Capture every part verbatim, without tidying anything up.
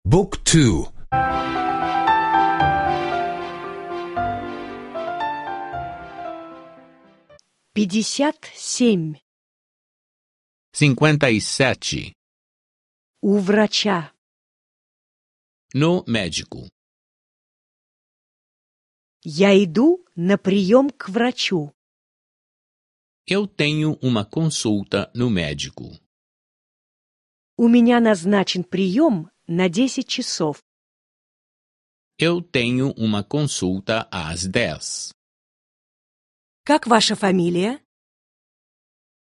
Book two. Пятьдесят семь. Cinquenta e sete. У врача. No médico. Я иду на прием к врачу. Eu tenho uma consulta no médico. У меня назначен прием на десять часов. Eu tenho uma consulta às dez. Как ваша фамилия?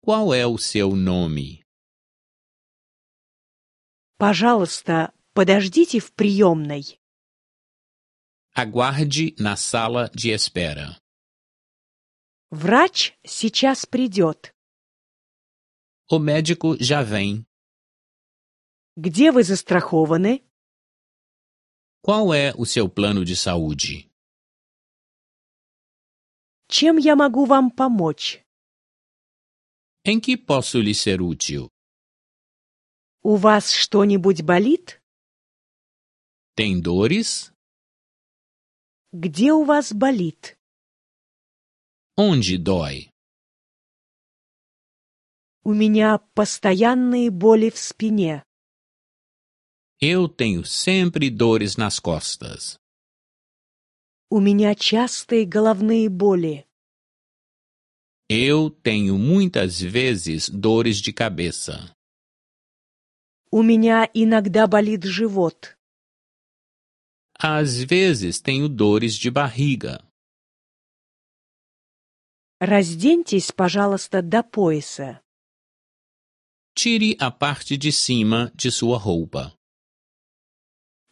Qual é o seu nome? Пожалуйста, подождите в приемной. Aguarde na sala de espera. Врач сейчас придет. O médico já vem. Где вы застрахованы? Qual é o seu plano de saúde? Чем я могу вам помочь? Em que posso lhe ser útil? У вас что-нибудь болит? Tem dores? Где у вас болит? Onde dói? У меня постоянные боли в спине. Eu tenho sempre dores nas costas. У меня частые головные боли. Eu tenho muitas vezes dores de cabeça. У меня иногда болит живот. Às vezes tenho dores de barriga. Разденьтесь, пожалуйста, до пояса. Tire a parte de cima de sua roupa.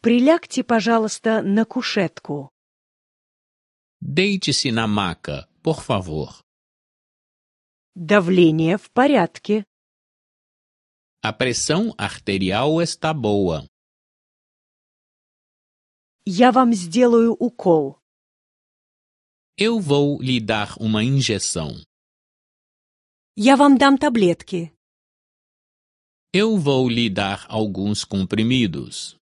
Прилягте, пожалуйста, на кушетку. Deite-se na maca, por favor. Давление в порядке. A pressão arterial está boa. Я вам сделаю укол. Eu vou lhe dar uma injeção. Я вам дам таблетки. Eu vou lhe dar alguns comprimidos.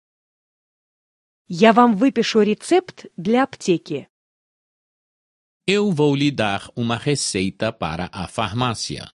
Я вам выпишу рецепт для аптеки. Eu vou lhe dar uma receita para a farmácia.